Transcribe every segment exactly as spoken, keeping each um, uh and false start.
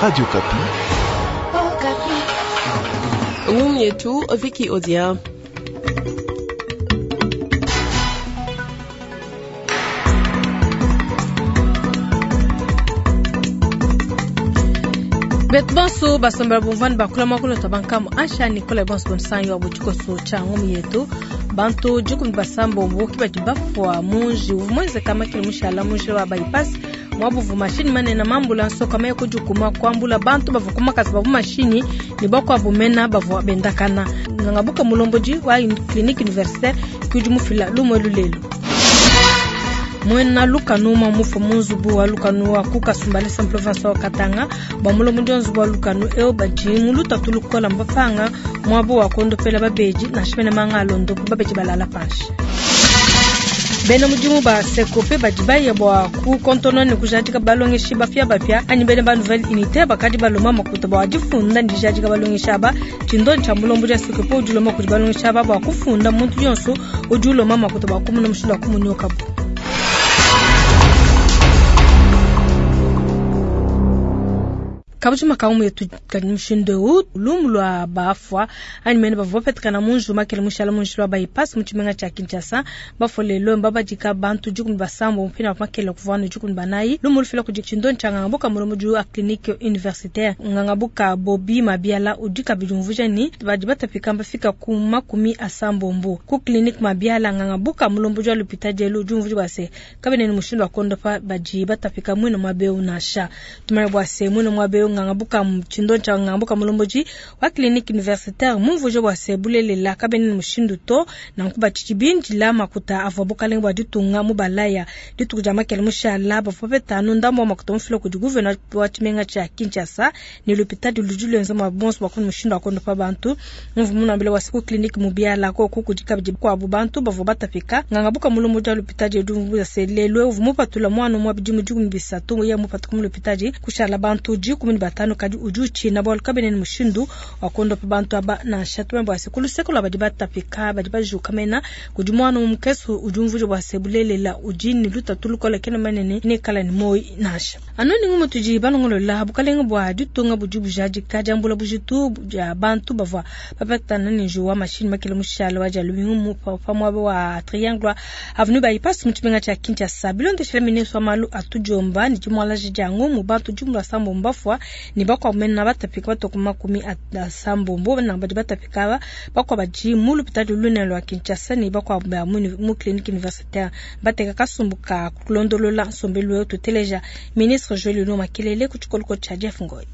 Radio Okapi. Ngumu yetu Vicky Odia. Betu bonso basombela bumvani bakula makulu tabankamu ansha Nicolas bonso bonsanyo wa butikoso cha ngumu yetu bantu jukumi basambombo kibadi bafwa munji uvumweze kama kile mushala munji wa bypass mwabuvu mashini manene mambula nsoka maye kujukuma kwambula bantu bava kumakasi bavu mashini ni bakwabumena bavua bendakana ngangabuka mulomboji wa clinique universitaire kudi mufila lumwe lulelu mwena lukanu mwa mufu munzubu wa lukanu wa kukasumbalisa province wa katanga bwa mulomo nzubu wa lukanu eo badi muluta tulukola mbapanga mwabo wa kondopela babeji na shimene manga alondo babeji balala panshi bena mudimu ba sekope badi baya bua kukontona ne kujadika balongeshi bapia bapia anyi bena ba nouvelle unité bakadi baloma makuta bua difunda ne dijadika balongeshi aba tshindoni tshia mulombo dia sekope udi uloma kudi balongeshi aba bua kufunda muntu yonso udi uloma makuta bua kumuna mushindu wa kumunyokabu. Kabuji makamu yetu mushindu eu lumu lwa bafwa anyi mene bavua bapetekana munju makele mushala munji lwa bypass mu tshimenga tshia Kinshasa bafwa lelo mbabadika bantu dikumi basambo mupina makele kuvua dikumi banayi lumu lufila kudi tshindoni tshia ngangabuka mulomo a clinique universitaire ngangabuka Bobi Mabiala udi kabidi umvuija ni badi batapika mbafika ku makumi asambombo ku clinique Mabiala ngangabuka mulombo wa l'hôpital elu udi umvuija bua se kabene ni mushindu wa kondopa badi batapika mwino mwabeu nasha tumanye bua se mwino mwabeu ngangabuka tshindo tsha ngangabuka mulomboji wa clinique universitaire mumvuje bua se bulelela kabene ni mushindu to nanku batshidi makuta avua bukalenga bua ditunga mu balaya dituku dia makele mushala bavua bapetanu ndambo wa makuta mufila kudi gouverneur wa tshimenga tshia Kinshasa ne l'hôpital ludi luenza mua bonso bua mushindu wa kondopa bantu mumvu munambile wa ku clinique mubiala koku kudi kabidi kuabu bantu bavua batapika ngangabuka mulomboji wa l'hôpital edu mvuja se lelo uvua mupatula mwana umue bidimu dikumi bisatu ya mupatuka mu l'hôpital kushala bantu dikumi ne batanu kadi udi utshina bualu kabene ni mushindu wa kondopa bantu aba nansha tumanye bua se ku luseke lua badi batapika badi bajuka mena kudi mwana mukese udi umvuija bua se bulelela udi ne lutatu lukole kena manene nekala ne moyi nansha anu ni ngumu tudi balongolola bukalenga bua ditunga budi bujadika diambula bujitu dia bantu bavua bapetana ne njuwa mashini makele mushala wa dia lumingu pa muaba wa triangle avenue bypass mu tshimenga tshia Kinshasa bilondeshela ministre wa malu atudiomba ne dimualaji dia ngumu bantu jumla sambo mbafwa ni bakwa mena batapika batoka makumi asambombo na badi batapika aba bakwa badi mu lupitali lunene lwa Kinshasa ni bakwa ba mu clinique universitaire bateka kasumbu ka kulondolola nsombelu wetu tuteleja ministre Joël Lino Makelele ku tshikoloko tshia Jeff Ngoy.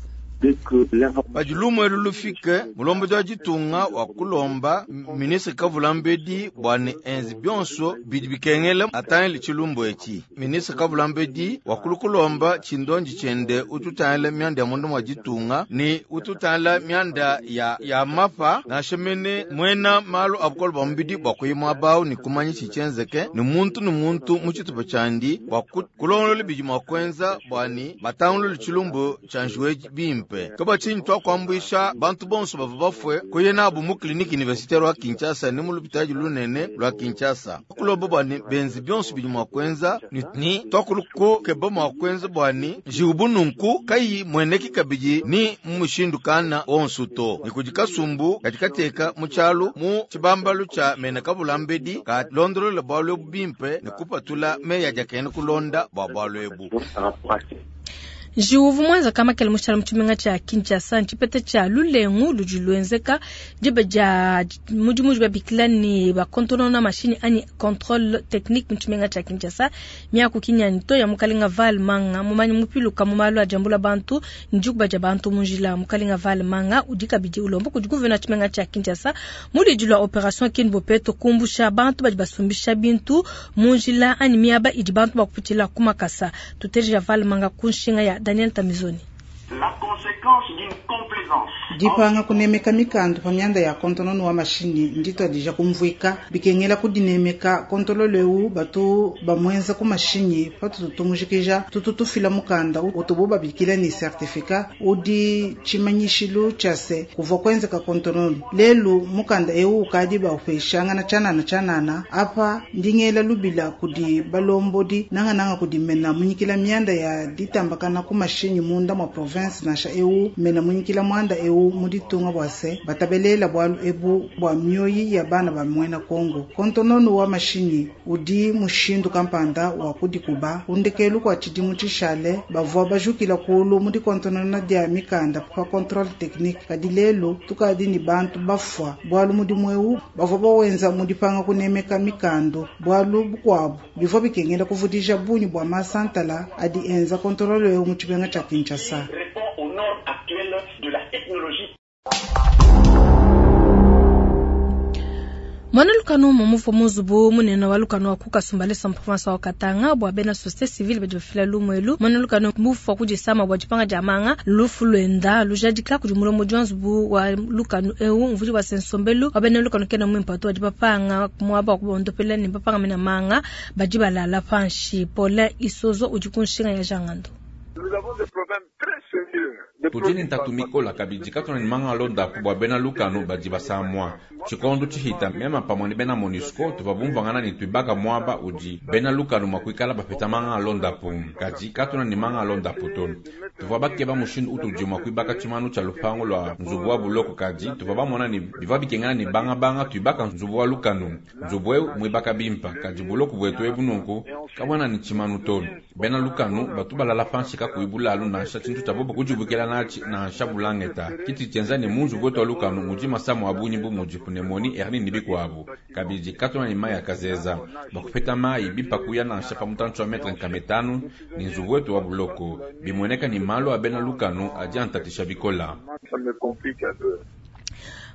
Badi lumwe lulufike mulombo wa ditunga wa kulomba ministre Kavulambedi bua ne enzi bionso bidi bikengela atangile tshilumbu etshi. Ministre Kavulambedi wakulukulomba tshindonji tshiende ututangila mianda ya mundu mwa ditunga ni ututangila mianda ya, ya mapa nansha mene mwena malu a bukole bua mubidi bua kuyima abawu ni kumanya tshitshienzeke ni muntu ni muntu mu tshitupa tshiandi bua kulongolola bidi mua kuenza bua ni batangulule tshilumbu tshia njuwe bimpe. Kaba tshinyi twakuambuisha bantu bonso bavua bafue kuye nabu mu clinique universitaire wa Kinshasa ni mu lupitadi lunene lwa Kinshasa kuloba bua ni benzi bionso bidi mua kuenza ni, ni twakukeba mua kuenza bua ni njiwu nunku kayi mueneki kabidi ni mu mushindu kana onso to ni kudi kasumbu kadi kateka mu tshialu mu tshibambalu tshia mena Kavulambedi ka londolola bualu ebu bimpe ne kupatula meyi adi akena kulonda bua bualu ebu. Njiwu mwenza kama kele mushala mutshimenga tshia Kinshasa ntshipeta tshia lulengu ludi luenzeka diba dia mudimu udi babikila ni bakontonona mashini anyi contrôle technique mutshimenga tshia Kinshasa miaku kinyani to ya mukalenga Val Manga mumanyi mupiluka mu malu a diambula bantu ndikuba dia bantu munjila mukalenga Val Manga udi kabidi ulomba kudi gouverneur tshimenga tshia Kinshasa mulidi lwa opération Kin Bopeto kumbusha bantu badi basumbisha bintu munjila anyi miaba idi bantu bakupitshila kumakasa tuteja Val Manga kunshinga ya Daniel Tamizoni. La conséquence d'une complaisance. Dipanga kunemeka mikandu pa mianda ya kontonono wa mashini nditwadija kumvuika bikengela kudinemeka kontololo eu batu bamwenza ku mashinyi patutu tumujikija tutu tufila mukanda utubu babikila ni certificat udi tshimanyishilu tshia se kuvua kuenzeka kontonono lelu mukanda eu ukadi baupeshangana tshianana tshianana apa ndingela lubila kudi balombodi nangananga kudi mena munyikila mianda ya ditambakana ku mashinyi munda mwa province Nansha ewu mena munyikila mwanda ewu mu ditunga bwa se batabelela bwalu ebu bwa mioyi ya bana ba mwena Kongo. Kontononu wa mashinyi udi mushindu kampanda wa kudikuba kundekelu kwa tshidimu tshishale bavwa bajukila kulu mu dikontonona dia mikanda pa contrôle technique kadi lelu tukadi ni bantu bafwa bwalu mudimu ewu bavwa bawenza mu dipanga kunemeka mikando bwalu bukwabu bivwa bikengela kuvudija bunyi bwa masantala adi enza contrôle ewu mu tshibenga tshia Kinshasa. Répond aux normes actuelles de la technologie. Mwana lukano mumufu muzubu munene wa lukano wa kukasumbalesa mprovince wa Katanga bwa bena société civile badi bafila lumwelu mwana lukano mufu wa kudisama bwa dipanga dia manga lufu lwenda lujadika kudi mulomo jwanzubu wa lukano ewu mvudi wa sensombelu wa bena lukano kena mwimpato wa dipapanga mwaba wa kubondopela ni papanga mena manga badi balala panshi Paulin Isozo udi kunshinga ya jangando. Nous avons des problèmes très sérieux. Tujini ntatumikola kabidi katona ni manga londa kubwa bena lukano badi basamwa chikondo chihita mema pamwe ni bena MONUSCO tuva bumvangana ni tuibaka mwaba udi bena lukano mwakuikala bapeta manga londa pu kadi katona ni manga londa pu to tuva bakeba mushindu utudi mwakuibaka chimanu cha lupango lwa nzubu wa buloko kadi tuva bamona ni biva bikengana ni banga banga tuibaka nzubu wa lukano nzubu eu mwibaka bimpa kadi buloko bwetu ebununku kabwana ni chimanu to bena lukano batu balala panshi kakuibulalu nansha chintu cha bobo kujibukela nachi nansha bulangeta kiti chenza ni munzu bwetu wa lukano mudi masamu abunyi bu mudi pneumonie hernie ni bikwabu kabidi katona ni mai akazeza bakupeta mai bimpa kuya nansha pa mutantu wa metre nkametanu ni nzubu wetu wa buloko bimweneka ni malo abena lukano adi antatisha bikola.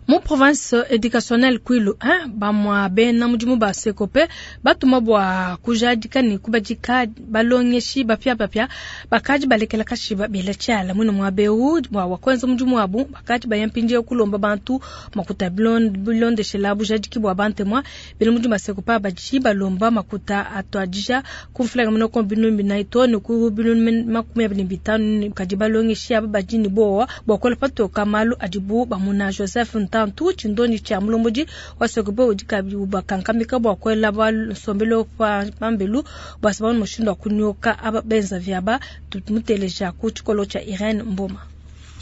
Mu province éducationnelle Kwilu hein bamwa bena mudimu ba sekope batuma bwa kujadika ni kubadika balongeshi bapya bapya bakaji balekela kashiba bela tshala muno mwa beu bwa wakwenza mudimu wabu bakaji bayampindia kulomba bantu makuta bilondeshela bujadiki bwa bantemwa bela mudimu ba sekope baji balomba makuta atwadija kumfulaga muno kombinu binaito ni ku binu makumi abiri bitanu kaji balongeshi aba bajini bowa bwa kola patoka malu adibu bamuna Joseph Ntantu chindoni cha mulomboji wa sekope udi kabi ubakankamika bwa kwela ba nsombelo pa pambelu bwa sababu mushindo kunyoka aba benza vyaba tumuteleja ku chikolo cha Irene Mboma.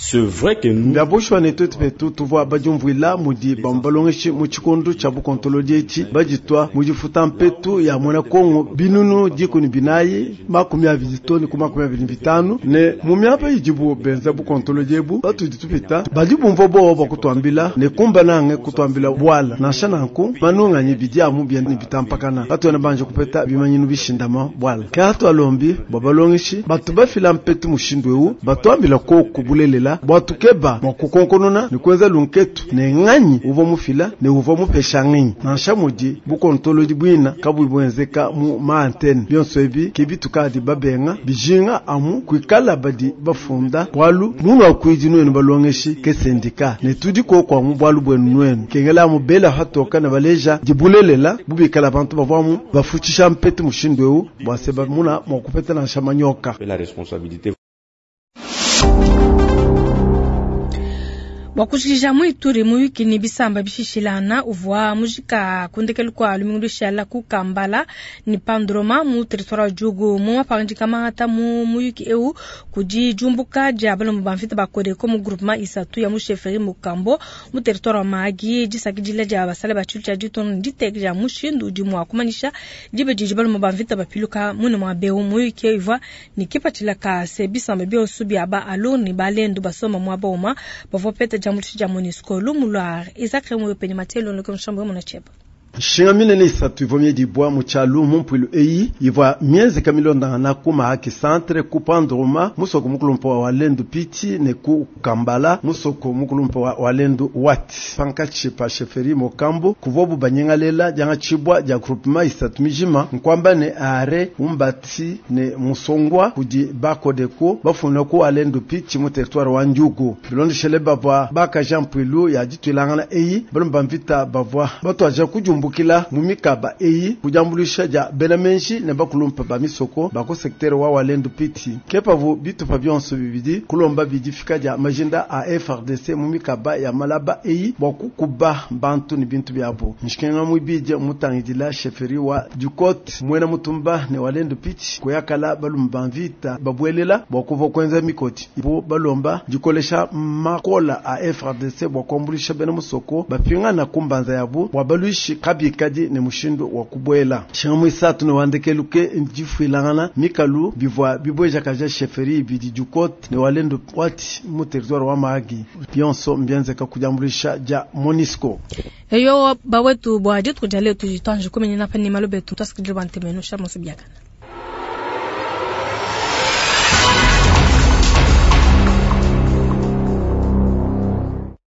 C'est vrai que nous Byabushwa ne twetu petu tuvwa bajumvwila mudi bambalongeshi mu chikondo cha bukontolodi echi bajitwa mujifuta mpetu ya mwana Kongo binunu dikuni binayi makumi abiri toni ku makumi abiri bitanu ne mu myapa ijibu benza bukontolodi ebu batudi tupita badi bumva bowo bakutwambila ne kumba nange kutwambila bwala nansha nanku manunganye bidi amu byene bitampakana batwena banje kupeta bimanyinu bishindama bwala ke atwalombi bwa balongeshi batu bafila mpetu mushindu ewu batwambila koku bulelela bwatukeba mwakukonkonona ni kwenza lunketu ne ng'anyi uva mufila ne uva mupesha ng'inyi nansha mudi bukontolodi bwina kabui bwenzeka mu maantene byonso ebi ke bitukadi babenga bijinga amu kwikala badi bafunda bwalu munu akwidi nwenu balongeshi ke sendika ne tudi kokwa mu bwalu bwenu nwenu kengela amu bela hatoka ne baleja dibulelela bubikala bantu bavwamu bafutshisha mpetu mushindu ewu bwase bamuna mwakupeta nansha manyoka. La responsabilité. Bwakushikisha mwituri muyuki ni bisamba bishishilana uvwa mujika kundekelu kwa lumingu lushala ku Kambala ni Pandroma mu territoire wa Djugu mu mapanjika mahata mu muyuki eu kudi jumbuka dia balomba bamfita bakodeko mu groupement isatu ya mu chefferie Mukambo mu territoire wa Mahagi disakidila dia basale ba tshilu tshia ditono diteke dia mushindu udi mua kumanyisha dibe didi balomba bamfita bapiluka mune mua beu muyuki eu ivua ni kipatshila ka se bisamba bionso bia ba aloni balendu basoma mua bauma bavua peta jamutu ja MONUSCO lumulwar Isaac Remoyo penye matelo ndoko mshambo mona cheba Nshinga minene isatu ivua miedibwa mu tshialu mu mpuilu eyi ivua mienzeka milondangana ku Mahagi centre ku Pandroma musoko mukulumpa wa Walendu Piti ne ku Kambala musoko mukulumpa wa Walendu Wati pankatshi pa chefferie Mokambo kuvua bubanyengalela dianga tshibwa dia groupement isatu mijima nkwamba ne are umbati ne musongwa kudi bakodeko bafuna ku Walendu Piti mu territoire wa Djugu bilondeshele bavua bakaja mpuilu ya ditwilangana eyi balomba mvita bavua batwaja kujumbu kumbukila mu mikaba eyi ku diambuluisha dia bena menji ne bakulumpa ba misoko ba ku secteur wa Walendu Piti. Ke pavu bitupa bionso bibidi kulomba bidifika dia majinda a F A R D C mu mikaba ya malaba eyi bua kukuba bantu ne bintu biabo. Nshikenga mwibidi mutangidila chefferie wa Ducote mwena mutumba ne Walendu Piti kuyakala balume ba mvita babuelela bua kuva kuenza mikoti bu balomba dikolesha makola a F A R D C bua kuambulisha bena musoko bapingana kumbanza yabu bua baluishi kabikadi ne mushindu wa kubuela. Shinga mwisatu ne wandekeluke difuilangana mikalu bivua bibwejakaja chefferie ibidi Ducote ne Walendu Wati mu territoire wa Mahagi bionso mbienzeka kudiambulisha dia MONUSCO. Eyo bawetu bua dituku dia leo tudi tuanji kumenyana pa ne malo betu twasikidile bua ntemeno sha mosi biakana.